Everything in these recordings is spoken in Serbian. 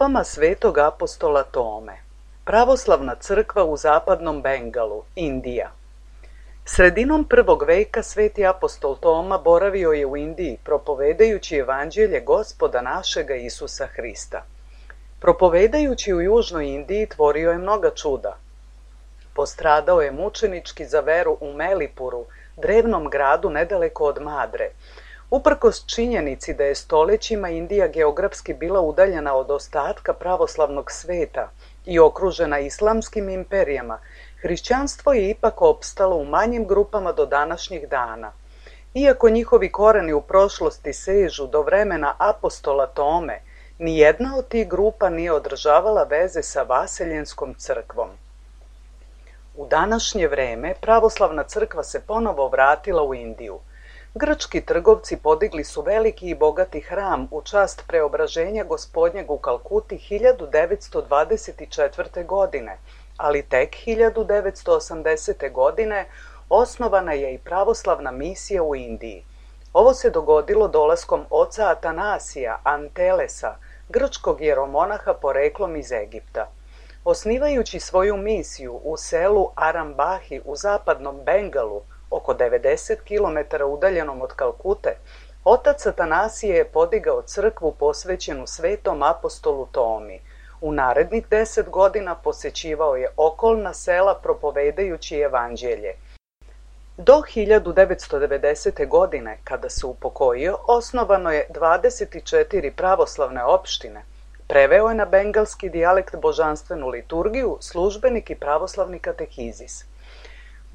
stopama svetog apostola Tome. Pravoslavna crkva u zapadnom Bengalu, Indija. Sredinom 1. veka sveti apostol Toma boravio je u Indiji propovedajući evanđelje Gospoda našega Isusa Hrista. Propovedajući u južnoj Indiji tvorio je mnoga čuda. Postradao je mučenički za veru u Melipuru, drevnom gradu nedaleko od Madre. Uprkos činjenici da je stolećima Indija geografski bila udaljena od ostatka pravoslavnog sveta i okružena islamskim imperijama, hrišćanstvo je ipak opstalo u manjim grupama do današnjih dana. Iako njihovi koreni u prošlosti sežu do vremena apostola Tome, nijedna od tih grupa nije održavala veze sa vaseljenskom crkvom. U današnje vreme pravoslavna crkva se ponovo vratila u Indiju. Grčki trgovci podigli su veliki i bogati hram u čast preobraženja Gospodnjeg u Kalkuti 1924. godine, ali tek 1980. godine osnovana je i pravoslavna misija u Indiji. Ovo se dogodilo dolaskom oca Atanasija Antelesa, grčkog jeromonaha poreklom iz Egipta. Osnivajući svoju misiju u selu Arambahi u zapadnom Bengalu, oko 90 km udaljenom od Kalkute, otac Atanasije je podigao crkvu posvećenu svetom apostolu Tomi. U narednih 10 godina posećivao je okolna sela propovedajući evanđelje. Do 1990. godine, kada se upokojio, osnovano je 24 pravoslavne opštine. Preveo je na bengalski dijalekt božanstvenu liturgiju, službenik i pravoslavni katehizis.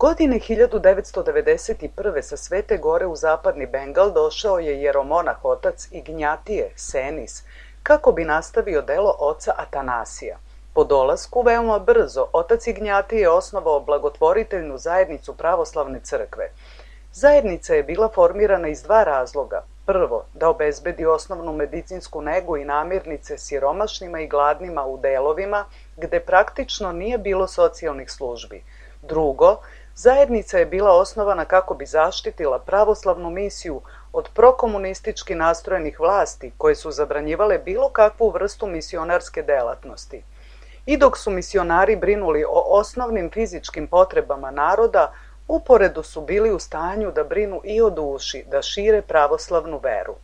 Godine 1991. sa Svete gore u zapadni Bengal došao je jeromonah otac Ignjatije Senis, kako bi nastavio delo oca Atanasija. Po dolasku veoma brzo otac Ignjatije je osnovao blagotvoriteljnu zajednicu pravoslavne crkve. Zajednica je bila formirana iz dva razloga. Prvo, da obezbedi osnovnu medicinsku negu i namirnice siromašnima i gladnima u delovima gde praktično nije bilo socijalnih službi. Drugo, zajednica je bila osnovana kako bi zaštitila pravoslavnu misiju od prokomunistički nastrojenih vlasti koje su zabranjivale bilo kakvu vrstu misionarske delatnosti. I dok su misionari brinuli o osnovnim fizičkim potrebama naroda, uporedo su bili u stanju da brinu i o duši, da šire pravoslavnu veru.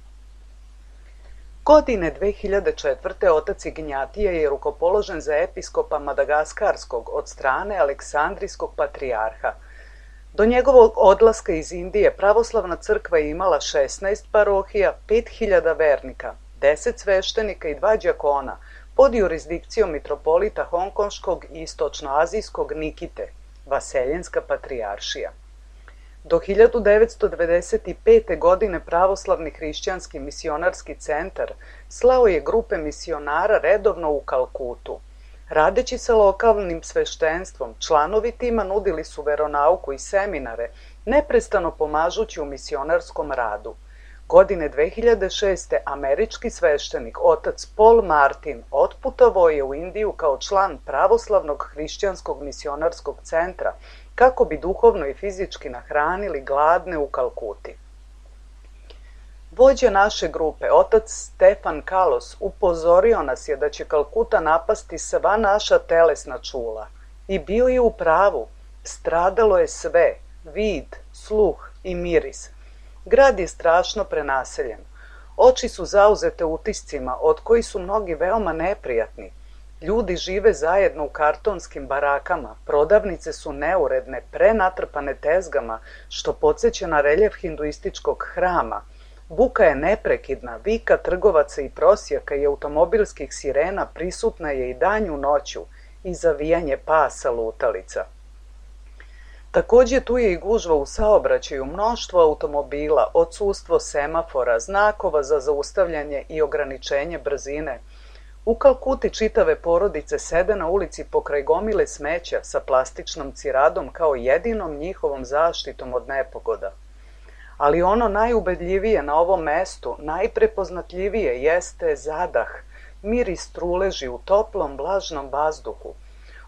Godine 2004. otac Ignjatije je rukopoložen za episkopa Madagaskarskog od strane Aleksandrijskog patrijarha. Do njegovog odlaska iz Indije pravoslavna crkva je imala 16 parohija, 5000 vernika, 10 sveštenika i 2 đakona pod jurisdikcijom mitropolita Hongkonškog i istočnoazijskog Nikite, Vaseljenska patrijaršija. Do 1995. godine pravoslavni hrišćanski misionarski centar slao je grupe misionara redovno u Kalkutu. Radeći sa lokalnim sveštenstvom, članovi tima nudili su veronauku i seminare, neprestano pomažući u misionarskom radu. Godine 2006. američki sveštenik otac Paul Martin otputovao je u Indiju kao član pravoslavnog hrišćanskog misionarskog centra kako bi duhovno i fizički nahranili gladne u Kalkuti. Vođa naše grupe, otac Stefan Kalos, upozorio nas je da će Kalkuta napasti sva naša telesna čula. I bio je u pravu. Stradalo je sve, vid, sluh i miris. Grad je strašno prenaseljen. Oči su zauzete utiscima, od kojih su mnogi veoma neprijatni. Ljudi žive zajedno u kartonskim barakama, prodavnice su neuredne, prenatrpane tezgama, što podsjeća na reljef hinduističkog hrama. Buka je neprekidna, vika trgovaca i prosjaka i automobilskih sirena prisutna je i danju noću i zavijanje pasa lutalica. Takođe tu je i gužva u saobraćaju, mnoštvo automobila, odsustvo semafora, znakova za zaustavljanje i ograničenje brzine. U Kalkuti čitave porodice sede na ulici pokraj gomile smeća sa plastičnom ciradom kao jedinom njihovom zaštitom od nepogoda. Ali ono najubedljivije na ovom mestu, najprepoznatljivije jeste zadah, miris truleži u toplom, vlažnom vazduhu.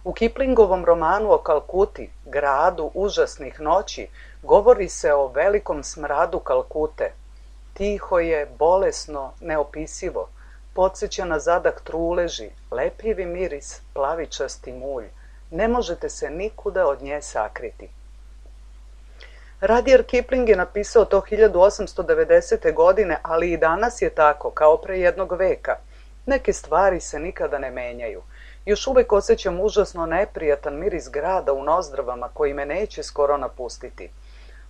U Kiplingovom romanu o Kalkuti, gradu užasnih noći, govori se o velikom smradu Kalkute. Tiho je, bolesno, neopisivo. podsjeća na zadah truleži, lepljivi miris, plavičasti mulj. Ne možete se nikuda od nje sakriti. Rudyard Kipling je napisao to 1890. godine, ali i danas je tako, kao pre jednog veka. Neke stvari se nikada ne menjaju. Još uvek osjećam užasno neprijatan miris grada u nozdravama koji me neće skoro napustiti.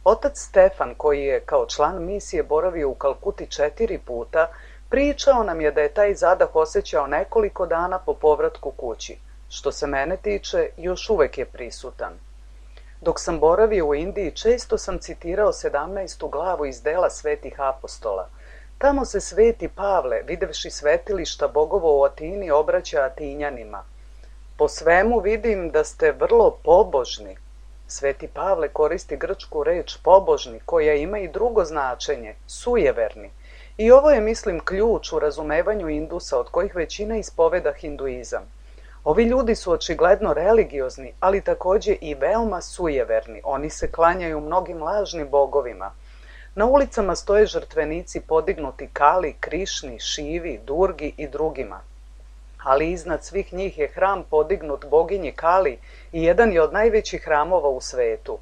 Otac Stefan, koji je kao član misije boravio u Kalkuti 4 puta, pričao nam je da je taj zadah osjećao nekoliko dana po povratku kući. Što se mene tiče, još uvek je prisutan. Dok sam boravio u Indiji, često sam citirao 17. glavu iz dela Svetih apostola. Tamo se Sveti Pavle, videvši svetilišta bogovo u Atini, obraća Atinjanima. Po svemu vidim da ste vrlo pobožni. Sveti Pavle koristi grčku reč pobožni, koja ima i drugo značenje, sujeverni. I ovo je, mislim, ključ u razumevanju Indusa, od kojih većina ispoveda hinduizam. Ovi ljudi su očigledno religiozni, ali takođe i veoma sujeverni. Oni se klanjaju mnogim lažnim bogovima. Na ulicama stoje žrtvenici podignuti Kali, Krišni, Šivi, Durgi i drugima. Ali iznad svih njih je hram podignut boginji Kali i jedan je od najvećih hramova u svetu.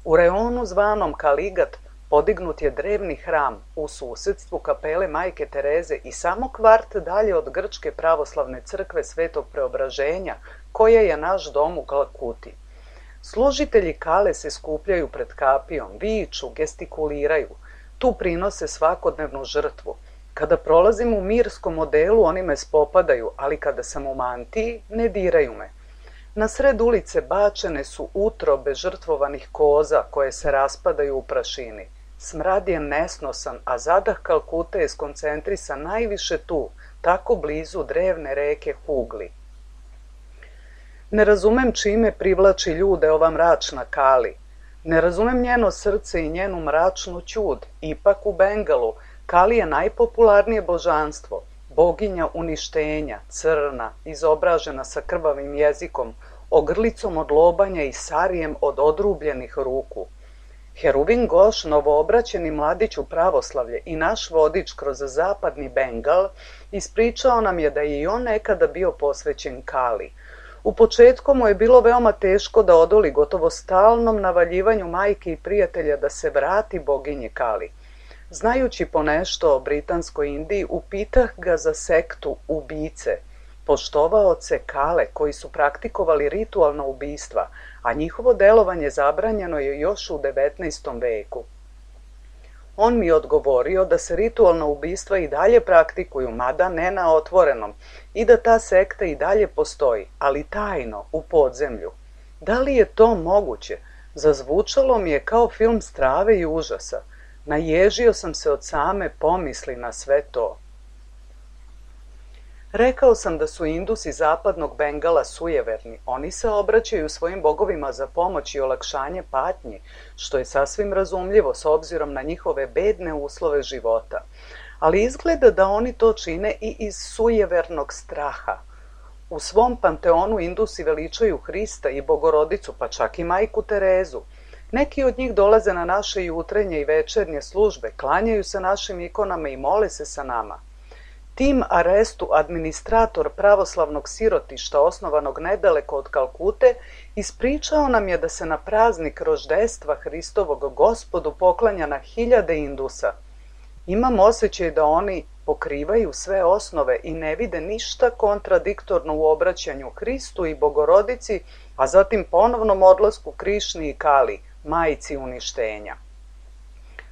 U reonu zvanom Kaligat podignut je drevni hram u susedstvu kapele Majke Tereze i samo kvart dalje od Grčke pravoslavne crkve Svetog Preobraženja, koja je naš dom u Kalkuti. Služitelji Kale se skupljaju pred kapijom, viču, gestikuliraju. Tu prinose svakodnevnu žrtvu. Kada prolazim u mirskom modelu, oni me spopadaju, ali kada sam u mantiji, ne diraju me. Na sred ulice bačene su utrobe žrtvovanih koza koje se raspadaju u prašini. Smrad je nesnosan, a zadah Kalkute je skoncentrisan najviše tu, tako blizu drevne reke Hugli. Ne razumem čime privlači ljude ova mračna Kali. Ne razumem njeno srce i njenu mračnu ćud. Ipak u Bengalu Kali je najpopularnije božanstvo, boginja uništenja, crna, izobražena sa krvavim jezikom, ogrlicom od lobanja i sarijem od odrubljenih ruku. Heruvin Goš, novoobraćeni mladić u pravoslavlje i naš vodič kroz zapadni Bengal, ispričao nam je da je i on nekada bio posvećen Kali. U početku mu je bilo veoma teško da odoli gotovo stalnom navaljivanju majke i prijatelja da se vrati boginji Kali. Znajući ponešto o Britanskoj Indiji, upitah ga za sektu ubice, poštovaoce Kale koji su praktikovali ritualna ubistva, a njihovo delovanje zabranjeno je još u 19. veku. On mi je odgovorio da se ritualna ubistva i dalje praktikuju, mada ne na otvorenom, i da ta sekta i dalje postoji, ali tajno, u podzemlju. Da li je to moguće? Zazvučalo mi je kao film strave i užasa. Naježio sam se od same pomisli na sve to. Rekao sam da su Indusi zapadnog Bengala sujeverni. Oni se obraćaju svojim bogovima za pomoć i olakšanje patnji, što je sasvim razumljivo s obzirom na njihove bedne uslove života. Ali izgleda da oni to čine i iz sujevernog straha. U svom panteonu Indusi veličaju Hrista i Bogorodicu, pa čak i majku Terezu. Neki od njih dolaze na naše jutrenje i večernje službe, klanjaju se našim ikonama i mole se sa nama. Tim Arestu, administrator pravoslavnog sirotišta osnovanog nedaleko od Kalkute, ispričao nam je da se na praznik roždestva Hristovog Gospodu poklanja na hiljade Indusa. Imam osjećaj da oni pokrivaju sve osnove i ne vide ništa kontradiktorno u obraćanju Hristu i Bogorodici, a zatim ponovnom odlasku Krišni i Kali, majici uništenja.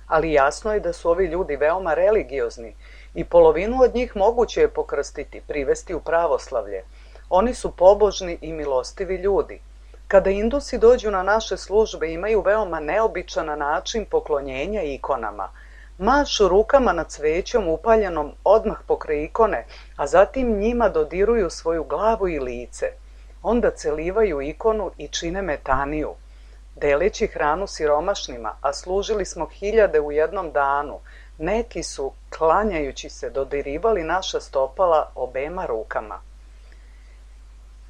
Ali jasno je da su ovi ljudi veoma religiozni i polovinu od njih moguće je pokrstiti, privesti u pravoslavlje. Oni su pobožni i milostivi ljudi. Kada Indusi dođu na naše službe, imaju veoma neobičan način poklonjenja ikonama. Mašu rukama nad cvećom upaljenom odmah pokraj ikone, a zatim njima dodiruju svoju glavu i lice. Onda celivaju ikonu i čine metaniju. Deleći hranu siromašnima, a služili smo hiljade u jednom danu, neki su, klanjajući se, dodirivali naša stopala obema rukama.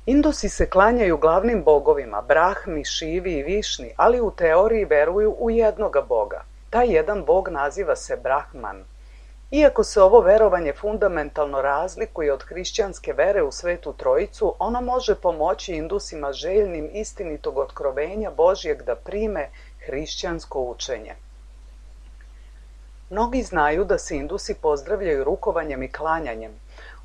Indusi se klanjaju glavnim bogovima, Brahmi, Šivi i Višni, ali u teoriji veruju u jednoga boga. Taj jedan bog naziva se Brahman. Iako se ovo verovanje fundamentalno razlikuje od hrišćanske vere u Svetu Trojicu, ono može pomoći Indusima željnim istinitog otkrovenja Božjeg da prime hrišćansko učenje. Mnogi znaju da se Indusi pozdravljaju rukovanjem i klanjanjem.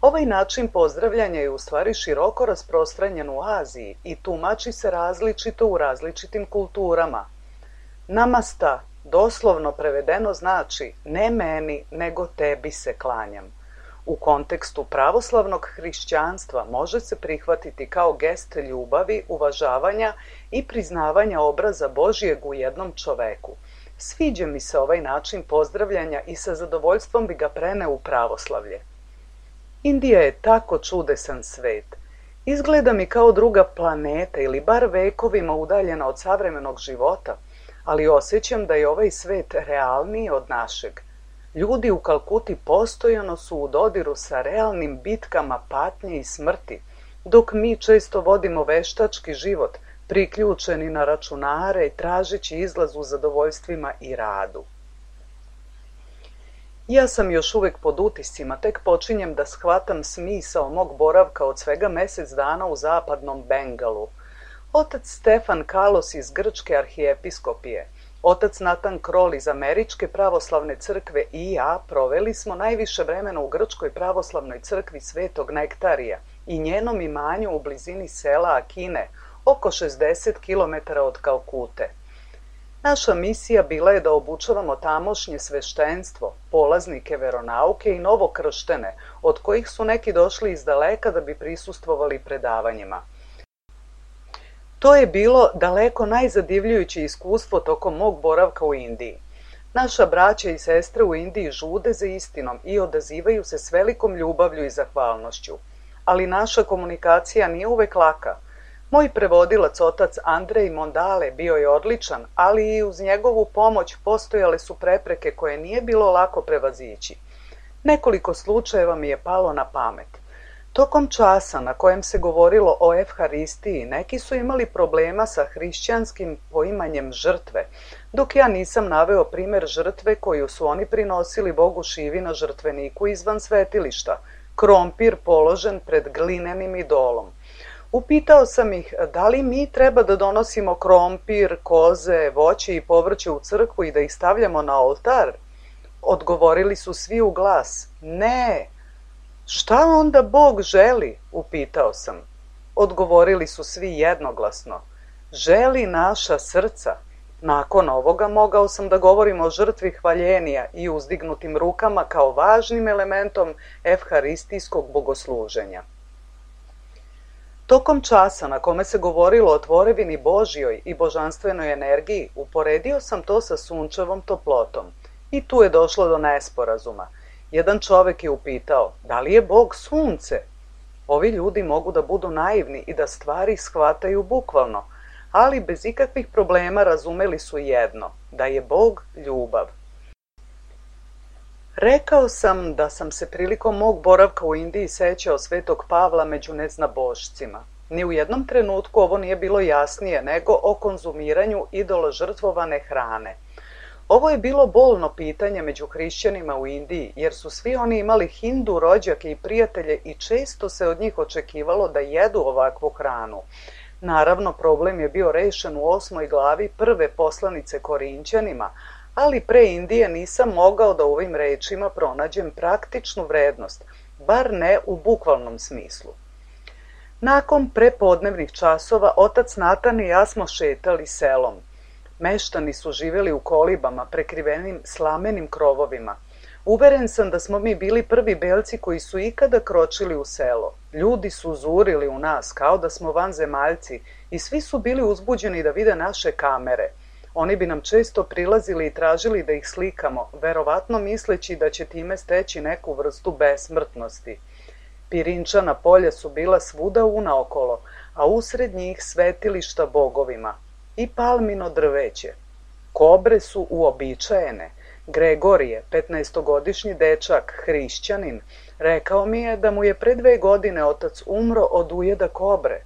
Ovaj način pozdravljanja je u stvari široko rasprostranjen u Aziji i tumači se različito u različitim kulturama. Namasta doslovno prevedeno znači ne meni, nego tebi se klanjam. U kontekstu pravoslavnog hrišćanstva može se prihvatiti kao gest ljubavi, uvažavanja i priznavanja obraza Božjeg u jednom čoveku. Sviđa mi se ovaj način pozdravljanja i sa zadovoljstvom bi ga preneo u pravoslavlje. Indija je tako čudesan svet. Izgleda mi kao druga planeta ili bar vekovima udaljena od savremenog života, ali osjećam da je ovaj svet realniji od našeg. Ljudi u Kalkuti postojano su u dodiru sa realnim bitkama patnje i smrti, dok mi često vodimo veštački život, priključeni na računare i tražeći izlaz u zadovoljstvima i radu. Ja sam još uvek pod utiscima, tek počinjem da shvatam smisao mog boravka od svega mjesec dana u zapadnom Bengalu. Otac Stefan Kalos iz Grčke arhijepiskopije, otac Natan Krol iz Američke pravoslavne crkve i ja proveli smo najviše vremena u Grčkoj pravoslavnoj crkvi Svetog Nektarija i njenom imanju u blizini sela Akine, oko 60 km od Kalkute. Naša misija bila je da obučavamo tamošnje sveštenstvo, polaznike veronauke i novokrštene, od kojih su neki došli iz daleka da bi prisustvovali predavanjima. To je bilo daleko najzadivljujuće iskustvo tokom mog boravka u Indiji. Naša braća i sestre u Indiji žude za istinom i odazivaju se s velikom ljubavlju i zahvalnošću. Ali naša komunikacija nije uvek laka. Moj prevodilac, otac Andrej Mondale, bio je odličan, ali i uz njegovu pomoć postojale su prepreke koje nije bilo lako prevazići. Nekoliko slučajeva mi je palo na pamet. Tokom časa na kojem se govorilo o Evharistiji, neki su imali problema sa hrišćanskim poimanjem žrtve, dok ja nisam naveo primer žrtve koju su oni prinosili Bogu Šivi na žrtveniku izvan svetilišta, krompir položen pred glinenim idolom. Upitao sam ih da li mi treba da donosimo krompir, koze, voće i povrće u crkvu i da ih stavljamo na oltar. Odgovorili su svi u glas, ne. Šta onda Bog želi? Upitao sam. Odgovorili su svi jednoglasno, želi naša srca. Nakon ovoga mogao sam da govorim o žrtvi hvaljenja i uzdignutim rukama kao važnim elementom evharistijskog bogosluženja. Tokom časa na kome se govorilo o tvorevini Božjoj i božanstvenoj energiji, uporedio sam to sa sunčevom toplotom. I tu je došlo do nesporazuma. Jedan čovek je upitao, da li je Bog sunce? Ovi ljudi mogu da budu naivni i da stvari shvataju bukvalno, ali bez ikakvih problema razumeli su jedno, da je Bog ljubav. Rekao sam da sam se prilikom mog boravka u Indiji sećao Svetog Pavla među neznabošcima. Ni u jednom trenutku ovo nije bilo jasnije nego o konzumiranju idoložrtvovane hrane. Ovo je bilo bolno pitanje među hrišćanima u Indiji, jer su svi oni imali Hindu rođake i prijatelje i često se od njih očekivalo da jedu ovakvu hranu. Naravno, problem je bio rešen u 8. glavi prve poslanice Korinćanima, ali pre Indije nisam mogao da u ovim rečima pronađem praktičnu vrednost, bar ne u bukvalnom smislu. Nakon prepodnevnih časova, otac Natan i ja smo šetali selom. Meštani su živjeli u kolibama prekrivenim slamenim krovovima. Uveren sam da smo mi bili prvi belci koji su ikada kročili u selo. Ljudi su zurili u nas kao da smo vanzemaljci i svi su bili uzbuđeni da vide naše kamere. Oni bi nam često prilazili i tražili da ih slikamo, verovatno misleći da će time steći neku vrstu besmrtnosti. Pirinčana polja su bila svuda unaokolo, a usred njih svetilišta bogovima i palmino drveće. Kobre su uobičajene. Gregorije, 15-godišnji dečak, hrišćanin, rekao mi je da mu je pre 2 godine otac umro od ujeda kobre.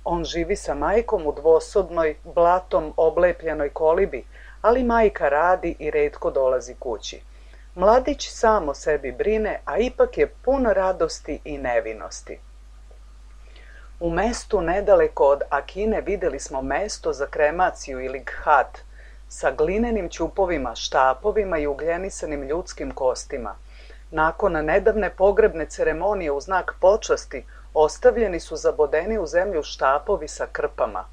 On živi sa majkom u dvosobnoj, blatom oblepljenoj kolibi, ali majka radi i retko dolazi kući. Mladić sam o sebi brine, a ipak je pun radosti i nevinosti. U mestu nedaleko od Akine vidjeli smo mesto za kremaciju ili ghat, sa glinenim ćupovima, štapovima i ugljenisanim ljudskim kostima. Nakon nedavne pogrebne ceremonije u znak počasti, ostavljeni su zabodeni u zemlju štapovi sa krpama.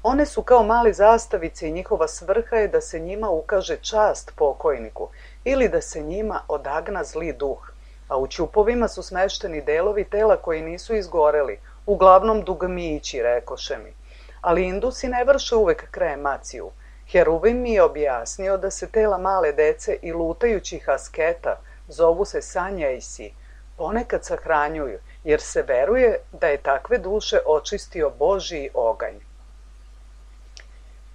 One su kao mali zastavice i njihova svrha je da se njima ukaže čast pokojniku ili da se njima odagna zli duh, a u ćupovima su smešteni delovi tela koji nisu izgoreli, uglavnom dugmići, rekoše mi. Ali Indusi ne vrše uvek kremaciju. Heruvim mi je objasnio da se tela male dece i lutajućih asketa, zovu se sanjajsi, ponekad sahranjuju, jer se veruje da je takve duše očistio Božji oganj.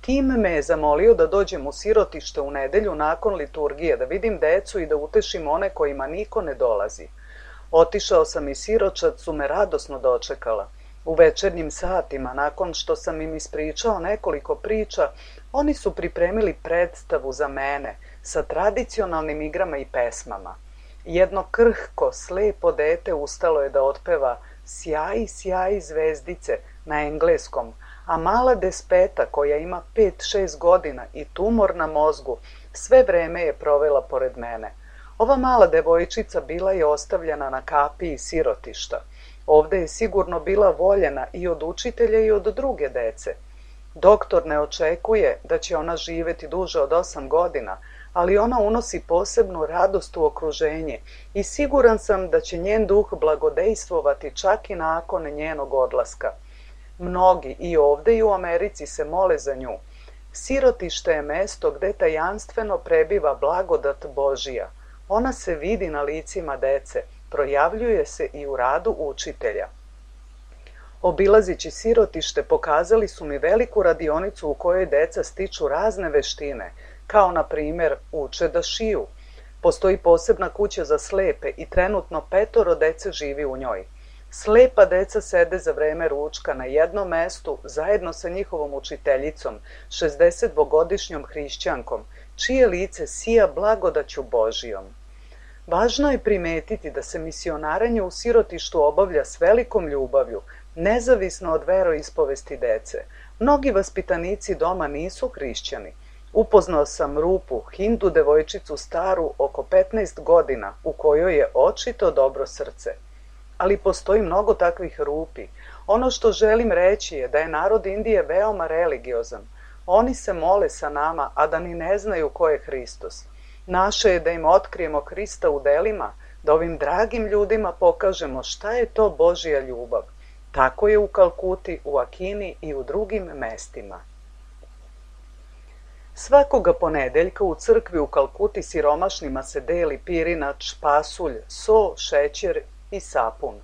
Tim me je zamolio da dođem u sirotište u nedelju nakon liturgije, da vidim decu i da utešim one kojima niko ne dolazi. Otišao sam i siročad su me radosno dočekala. U večernjim satima, nakon što sam im ispričao nekoliko priča, oni su pripremili predstavu za mene sa tradicionalnim igrama i pesmama. Jedno krhko, slepo dete ustalo je da otpeva Sjaji, sjaji zvezdice na engleskom, a mala despeta koja ima 5-6 godina i tumor na mozgu sve vreme je provela pored mene. Ova mala devojčica bila je ostavljena na kapiji sirotišta. Ovde je sigurno bila voljena i od učitelja i od druge dece. Doktor ne očekuje da će ona živeti duže od 8 godina, ali ona unosi posebnu radost u okruženje i siguran sam da će njen duh blagodejstvovati čak i nakon njenog odlaska. Mnogi i ovde i u Americi se mole za nju. Sirotište je mesto gde tajanstveno prebiva blagodat Božija. Ona se vidi na licima dece, projavljuje se i u radu učitelja. Obilazići sirotište pokazali su mi veliku radionicu u kojoj deca stiču razne veštine, kao na primjer uče da šiju. Postoji posebna kuća za slepe i trenutno 5 dece živi u njoj. Slepa deca sede za vreme ručka na jednom mestu zajedno sa njihovom učiteljicom, 62-godišnjom hrišćankom, čije lice sija blagodaću Božijom. Važno je primetiti da se misionaranje u sirotištu obavlja s velikom ljubavlju, nezavisno od veroispovesti dece. Mnogi vaspitanici doma nisu hrišćani. Upoznao sam Rupu, Hindu devojčicu staru oko 15 godina, u kojoj je očito dobro srce. Ali postoji mnogo takvih Rupi. Ono što želim reći je da je narod Indije veoma religiozan. Oni se mole sa nama, a da ni ne znaju ko je Hristos. Naše je da im otkrijemo Hrista u delima, da ovim dragim ljudima pokažemo šta je to Božja ljubav. Tako je u Kalkuti, u Akini i u drugim mestima. Svakoga ponedeljka u crkvi u Kalkuti siromašnima se deli pirinač, pasulj, so, šećer i sapun.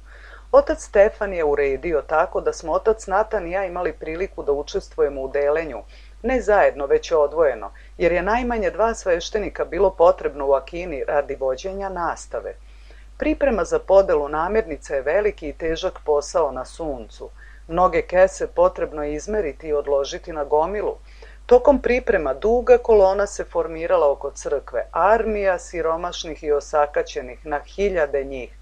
Otac Stefan je uredio tako da smo otac Natan i ja imali priliku da učestvujemo u delenju, ne zajedno, već odvojeno, jer je najmanje 2 sveštenika bilo potrebno u Akini radi vođenja nastave. Priprema za podelu namirnica je veliki i težak posao na suncu. Mnoge kese potrebno je izmeriti i odložiti na gomilu. Tokom priprema duga kolona se formirala oko crkve, armija siromašnih i osakaćenih, na 1000 njih.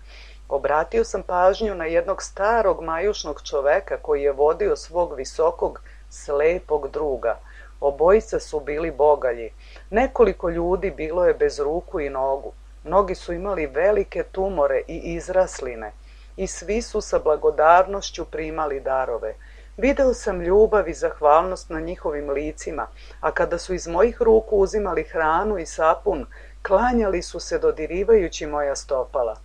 Obratio sam pažnju na jednog starog majušnog čoveka koji je vodio svog visokog, slepog druga. Obojica su bili bogalji. Nekoliko ljudi bilo je bez ruku i nogu. Mnogi su imali velike tumore i izrasline i svi su sa blagodarnošću primali darove. Video sam ljubav i zahvalnost na njihovim licima, a kada su iz mojih ruku uzimali hranu i sapun, klanjali su se dodirivajući moja stopala.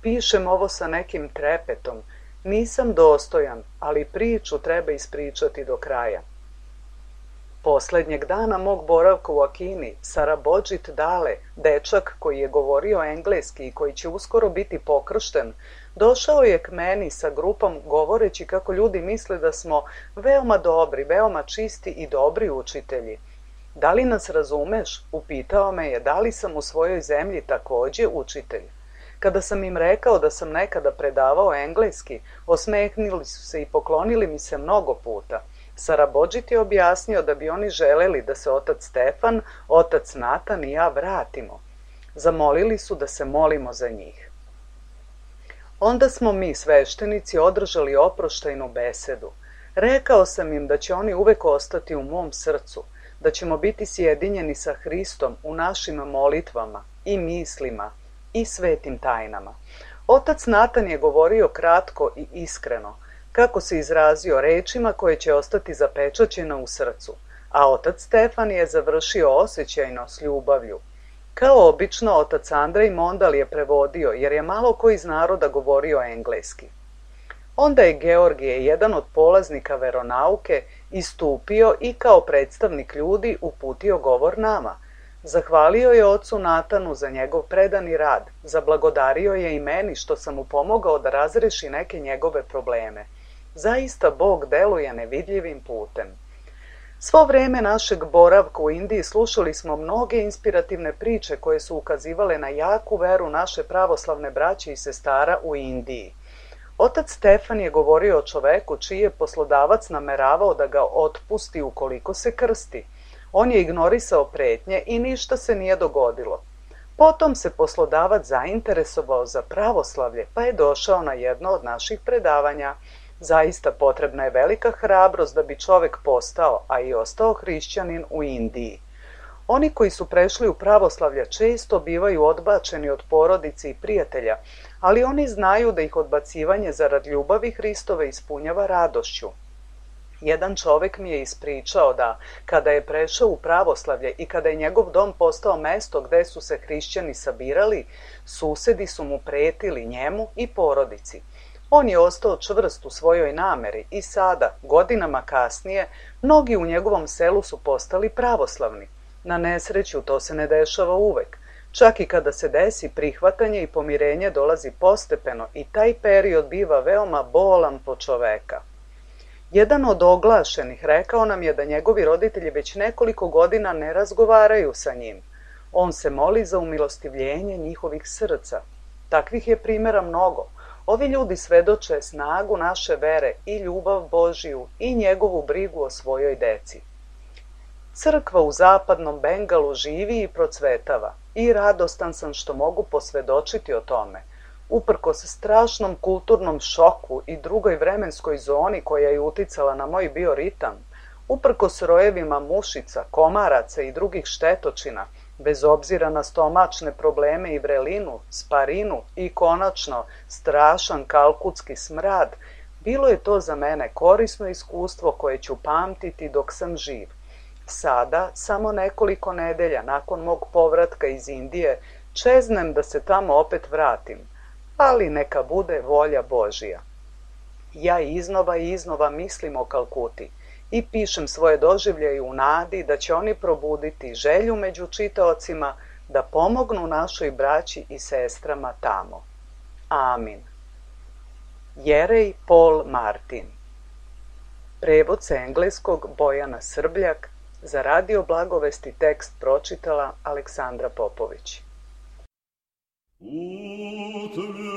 Pišem ovo sa nekim trepetom. Nisam dostojan, ali priču treba ispričati do kraja. Poslednjeg dana mog boravka u Akini, Sarabodžit Dale, dečak koji je govorio engleski i koji će uskoro biti pokršten, došao je k meni sa grupom govoreći kako ljudi misle da smo veoma dobri, veoma čisti i dobri učitelji. Da li nas razumeš? Upitao me je da li sam u svojoj zemlji takođe učitelj. Kada sam im rekao da sam nekada predavao engleski, osmehnili su se i poklonili mi se mnogo puta. Sarabodžit je objasnio da bi oni želeli da se otac Stefan, otac Natan i ja vratimo. Zamolili su da se molimo za njih. Onda smo mi, sveštenici, održali oproštajnu besedu. Rekao sam im da će oni uvek ostati u mom srcu, da ćemo biti sjedinjeni sa Hristom u našim molitvama i mislima i svetim tajnama. Otac Natan je govorio kratko i iskreno, kako se izrazio rečima koje će ostati zapečaćene u srcu, a otac Stefan je završio osjećajno s ljubavlju. Kao obično, otac Andrej Mondal je prevodio, jer je malo ko iz naroda govorio engleski. Onda je Georgije, jedan od polaznika veronauke, istupio i kao predstavnik ljudi uputio govor nama. Zahvalio je ocu Natanu za njegov predani rad, zablagodario je i meni što sam mu pomogao da razreši neke njegove probleme. Zaista Bog deluje nevidljivim putem. Svo vreme našeg boravka u Indiji slušali smo mnoge inspirativne priče koje su ukazivale na jaku veru naše pravoslavne braće i sestara u Indiji. Otac Stefan je govorio o čoveku čiji je poslodavac nameravao da ga otpusti ukoliko se krsti. On je ignorisao pretnje i ništa se nije dogodilo. Potom se poslodavac zainteresovao za pravoslavlje, pa je došao na jedno od naših predavanja. Zaista potrebna je velika hrabrost da bi čovek postao, a i ostao hrišćanin u Indiji. Oni koji su prešli u pravoslavlje često bivaju odbačeni od porodice i prijatelja, ali oni znaju da ih odbacivanje zarad ljubavi Hristove ispunjava radošću. Jedan čovek mi je ispričao da, kada je prešao u pravoslavlje i kada je njegov dom postao mesto gde su se hrišćani sabirali, susedi su mu pretili njemu i porodici. On je ostao čvrst u svojoj nameri i sada, godinama kasnije, mnogi u njegovom selu su postali pravoslavni. Na nesreću to se ne dešava uvek. Čak i kada se desi, prihvatanje i pomirenje dolazi postepeno i taj period biva veoma bolan po čoveka. Jedan od oglašenih rekao nam je da njegovi roditelji već nekoliko godina ne razgovaraju sa njim. On se moli za umilostivljenje njihovih srca. Takvih je primjera mnogo. Ovi ljudi svedoče snagu naše vere i ljubav Božiju i njegovu brigu o svojoj deci. Crkva u zapadnom Bengalu živi i procvetava i radostan sam što mogu posvedočiti o tome. Uprkos strašnom kulturnom šoku i drugoj vremenskoj zoni koja je uticala na moj bioritam, uprkos rojevima mušica, komaraca i drugih štetočina, bez obzira na stomačne probleme i vrelinu, sparinu i konačno strašan kalkutski smrad, bilo je to za mene korisno iskustvo koje ću pamtiti dok sam živ. Sada, samo nekoliko nedelja nakon mog povratka iz Indije, čeznem da se tamo opet vratim, ali neka bude volja Božija. Ja iznova i iznova mislim o Kalkuti i pišem svoje doživljaje u nadi da će oni probuditi želju među čitaocima da pomognu našoj braći i sestrama tamo. Amin. Jerej Paul Martin. Prevod sa engleskog Bojana Srbljak, za Radio Blagovesti tekst pročitala Aleksandra Popović. Utvrdi